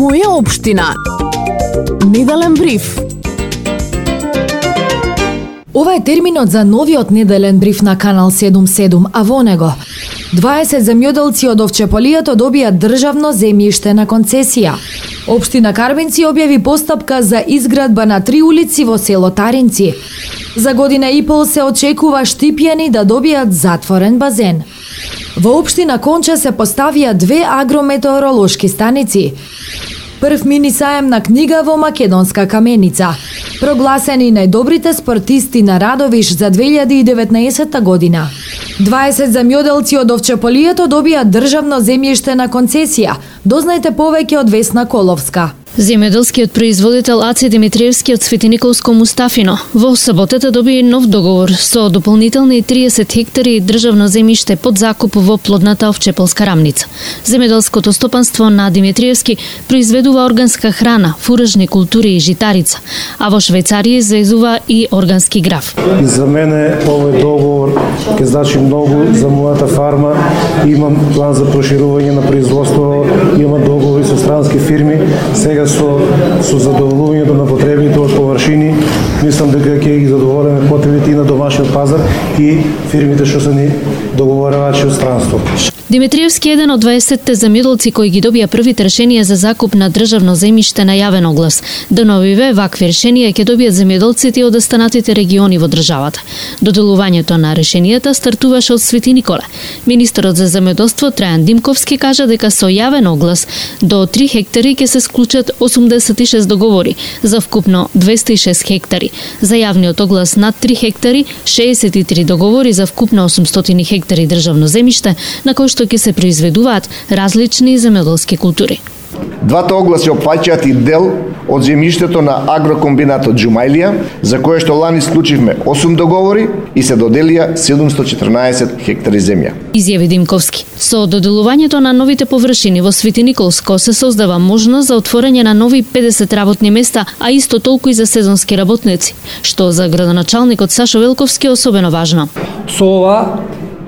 Моја општина. Неделен бриф. Ова е терминот за новиот неделен бриф на Канал 77, а во него 20 земјоделци од Овчеполието добија државно земјиште на концесија. Општина Карбинци објави постапка за изградба на 3 улици во село Таринци. За година и пол се очекува Штипјани да добијат затворен базен. Во општина Конча се поставија 2 агрометеоролошки станици. Прв мини саем на книга во Македонска Каменица. Прогласени најдобрите спортисти на Радовиш за 2019 година. 20 земјоделци од Овчеполието добија државно земјиште на концесија. Дознајте повеќе од Весна Коловска. Земјоделскиот производител Аци Димитриевски од Светиниколско Мустафино во саботата доби нов договор со дополнителни 30 хектари државно земјиште под закуп во плодната Овчеполска рамница. Земјоделското стопанство на Димитриевски произведува органска храна, фуражни култури и житарица, а во Швајцарија извезува и органски граф. И за мене овој договор ќе значи многу за мојата фарма. Имам план за проширување на производство, имам договори со странски фирми. Сега со задоволувањето на потребите од површини, мислам дека ќе ги задоволиме потребите и на домашниот пазар и фирмите што се ни договорувачи од странство. Димитриевски е еден од 20 земјоделци кои ги добија првите решенија за закуп на државно земјиште на јавен оглас. До новиве вакви решенија ќе добијат земјоделците од останатите региони во државата. Доделувањето на решенијата стартуваше од Свети Николе. Министерот за земјоделство Трајан Димковски кажа дека со јавен оглас до 3 хектари ќе се склучат 86 договори за вкупно 206 хектари. За јавниот оглас над 3 хектари 63 договори за вкупно 800 хектари државно земјиште на кои што ќе се произведуваат различни земјоделски култури. Двата огласи опфаќаат и дел од земјиштето на агрокомбинатот Џумајлија, за кое што лани склучивме 8 договори и се доделија 714 хектари земја. Изјави Димковски. Со доделувањето на новите површини во Светиниколско се создава можност за отворање на нови 50 работни места, а исто толку и за сезонски работници, што за градоначалникот Сашо Велковски е особено важно. Со ова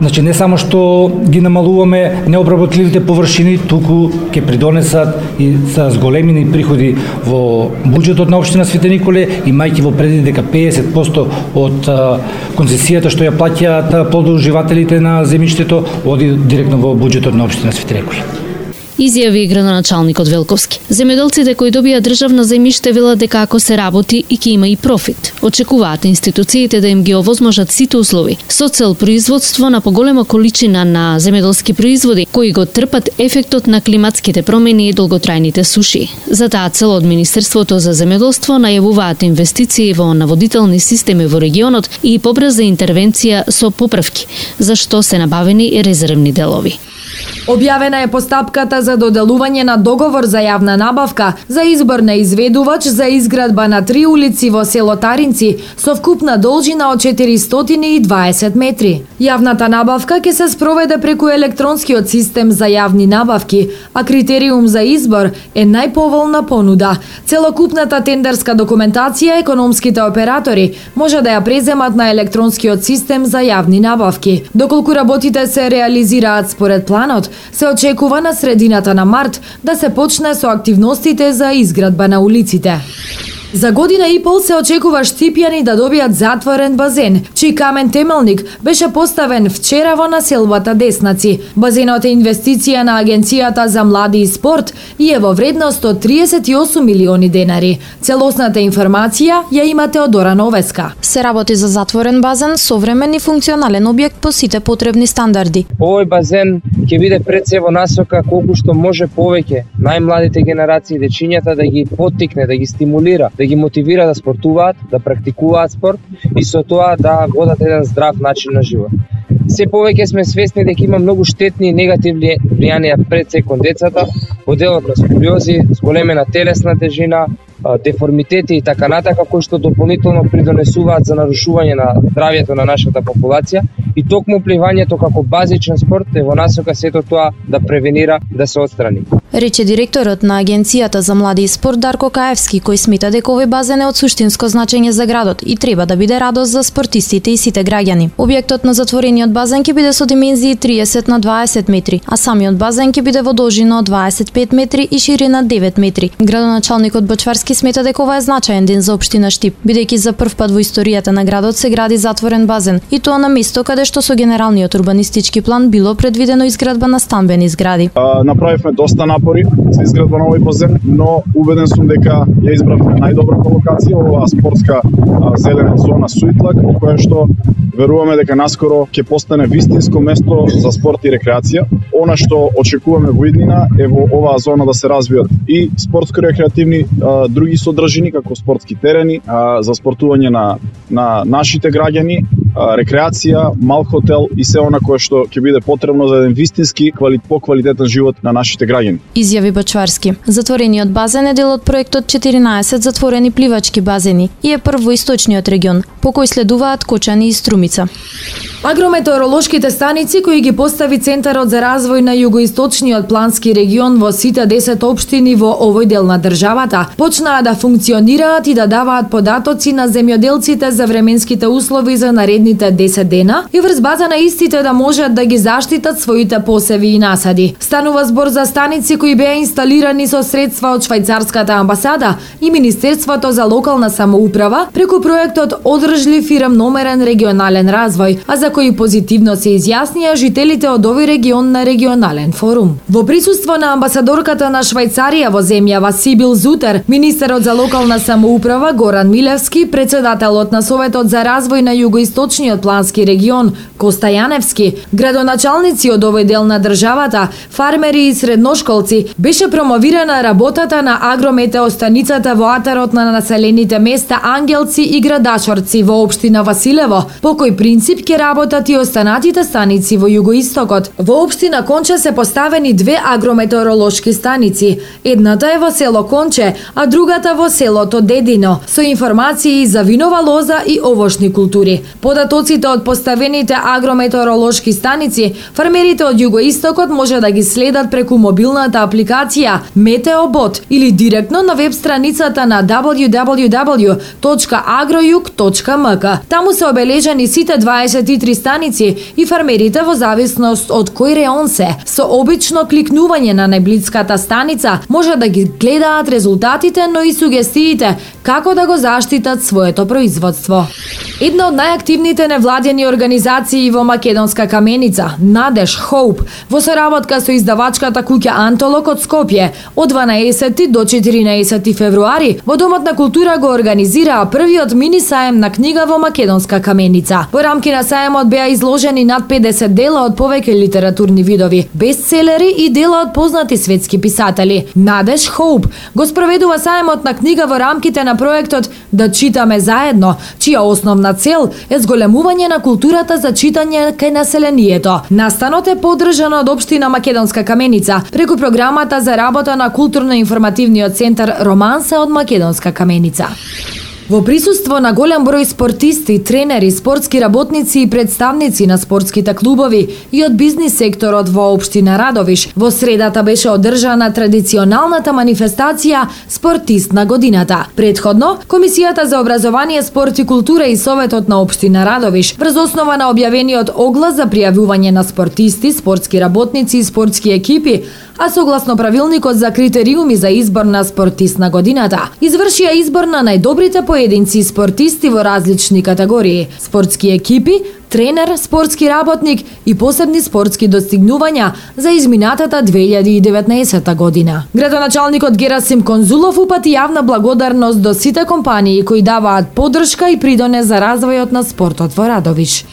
не само што ги намалуваме необработливите површини, туку ќе придонесат и за зголемени приходи во буџетот на општина Свети Николе, имајќи во предвид дека 50% од концесијата што ја плаќаат плодоуживателите на земјиштето оди директно во буџетот на општина Свети Николе. Изјави градоначалникот Велковски. Земјоделците кои добија државно земјиште велат дека ако се работи и ќе има и профит. Очекуваат институциите да им ги овозможат сите услови со цел производство на поголема количина на земјоделски производи кои го трпат ефектот на климатските промени и долготрајните суши. За таа цел од Министерството за земјоделство најавуваат инвестиции во наводителни системи во регионот и побрза интервенција со поправки, за што се набавени и резервни делови. Објавена е постапката за доделување на договор за јавна набавка за избор на изведувач за изградба на 3 улици во село Таринци со вкупна должина од 420 метри. Јавната набавка ќе се спроведе преку електронскиот систем за јавни набавки, а критериум за избор е најповолна понуда. Целокупната тендерска документација економските оператори може да ја преземат на електронскиот систем за јавни набавки. Доколку работите се реализираат според планот, се очекува на средината на март да се почне со активностите за изградба на улиците. За година и пол се очекува Штипјани да добијат затворен базен, чиј камен темелник беше поставен вчера во населбата Деснаци. Базенот е инвестиција на Агенцијата за млади и спорт и е во вредност од 38 милиони денари. Целосната информација ја имате од Дора Новеска. Се работи за затворен базен, современ и функционален објект по сите потребни стандарди. Овој базен ќе биде пред се во насока колку што може повеќе најмладите генерации, дечињата да ги поттикне, да ги стимулира, да ги мотивира да спортуваат, да практикуваат спорт и со тоа да водат еден здрав начин на живот. Се повеќе сме свесни дека има многу штетни и негативни влијанија пред се кон децата, во делот на сколиози, зголемена телесна тежина, деформитети и така натака, кои што дополнително придонесуваат за нарушување на здравјето на нашата популација и токму пливањето како базичен спорт е во насока сето тоа да превенира да се отстрани. Рече директорот на Агенцијата за млади и спорт Дарко Каевски, кој смета дека овој базен е од суштинско значење за градот и треба да биде радост за спортистите и сите граѓани. Објектот на затворениот базен ќе биде со димензии 30 на 20 метри, а самиот базен ќе биде во должина од 25 метри и ширина 9 метри. Градоначалникот Бочварски смета дека ова е значаен ден за општина Штип, бидејќи за прв пат во историјата на градот се гради затворен базен, и тоа на место каде што со генералниот урбанистички план било предвидено изградба на стамбени згради. Направивме доста напори за изградба на овој базен, но убеден сум дека ја избравме најдобрата локација, оваа спортска зелена зона Суитлак, која што веруваме дека наскоро ќе постане вистинско место за спорт и рекреација. Она што очекуваме во иднина е во оваа зона да се развијат и спортско-рекреативни други содржини, како спортски терени за спортување на нашите граѓани, рекреација, мал хотел и се она кое што ќе биде потребно за еден вистински поквалитетен живот на нашите граѓани. Изјави Бачварски. Затворениот базен е дел од проектот 14 затворени пливачки базени и е прв во источниот регион, по кој следуваат Кочани и Струмица. Агрометеоролошките станици кои ги постави Центарот за развој на југоисточниот плански регион во сите 10 општини во овој дел на државата почнаа да функционираат и да даваат податоци на земјоделците за временските услови за наредните 10 дена и врз база на истите да можат да ги заштитат своите посеви и насади. Станува збор за станици кои беа инсталирани со средства од Швајцарската амбасада и Министерството за локална самоуправа преку проектот Одржлив и рамномерен регионален развој, а за кои позитивно се изјаснија жителите од овој регион на регионален форум. Во присуство на амбасадорката на Швајцарија во земјава Сибил Зутер, министерот за локална самоуправа Горан Милевски, председателот на Советот за развој на југоисточниот плански регион Коста Јаневски, градоначалници од овој дел на државата, фармери и средношколци, беше промовирана работата на агрометеостаницата во атарот на населените места Ангелци и Градачорци во општина Василево, по кој принцип ќе работат и останатите станици во југоистокот. Во општина Конче се поставени две агрометеоролошки станици. Едната е во село Конче, а другата во селото Дедино, со информации за винова лоза и овошни култури. Податоците од поставените агрометеоролошки станици, фармерите од југоистокот може да ги следат преку мобилната апликација Метеобот или директно на веб страницата на www.agrojug.mk. Таму се обележани сите 23 станици и фармерите во зависност од кој реон се, со обично кликнување на најблиската станица, може да ги гледаат резултатите, но и сугестиите како да го заштитат своето производство. Една од најактивните невладени организации во Македонска Каменица, Надеж Хоуп, во соработка со издавачката куќа Антолог од Скопје, од 12 до 14 февруари во Домот на култура го организираа првиот мини саем на книга во Македонска Каменица. Во рамки на саемот беа изложени над 50 дела од повеќе литературни видови, бестселери и дела од познати светски писатели. Надеж Хоуп го спроведува саемот на книга во рамките на проектот Да читаме заедно, чија основна цел е зголемување на културата за читање кај населението. Настанот е поддржан од општина Македонска Каменица преку програмата за работа на културно-информативниот центар Романса од Македонска Каменица. Во присуство на голем број спортисти, тренери, спортски работници и представници на спортските клубови и од бизнис секторот во општина Радовиш, во средата беше одржана традиционалната манифестација Спортист на годината. Предходно, Комисијата за образование, спорт и култура и Советот на општина Радовиш, врз основа на објавениот оглас за пријавување на спортисти, спортски работници и спортски екипи, а согласно правилникот за критериуми за избор на Спортист на годината, извршија избор на најдобрите поединци и спортисти во различни категории: спортски екипи, тренер, спортски работник и посебни спортски достигнувања за изминатата 2019 година. Градоначалникот Герасим Конзулов упати јавна благодарност до сите компании кои даваат поддршка и придонес за развојот на спортот во Радовиш.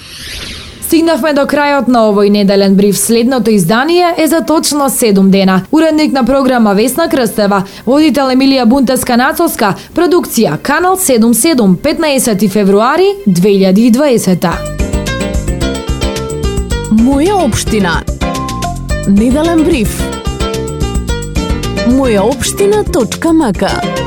Стигнавме до крајот на овој неделен бриф. Следното издание е за точно 7 дена. Уредник на програма Весна Крстева, водител Емилија Бунтеска-Нацовска, продукција Канал 77, 15 февруари 2020. Моја општина. Неделен бриф. Мојаопштина.мк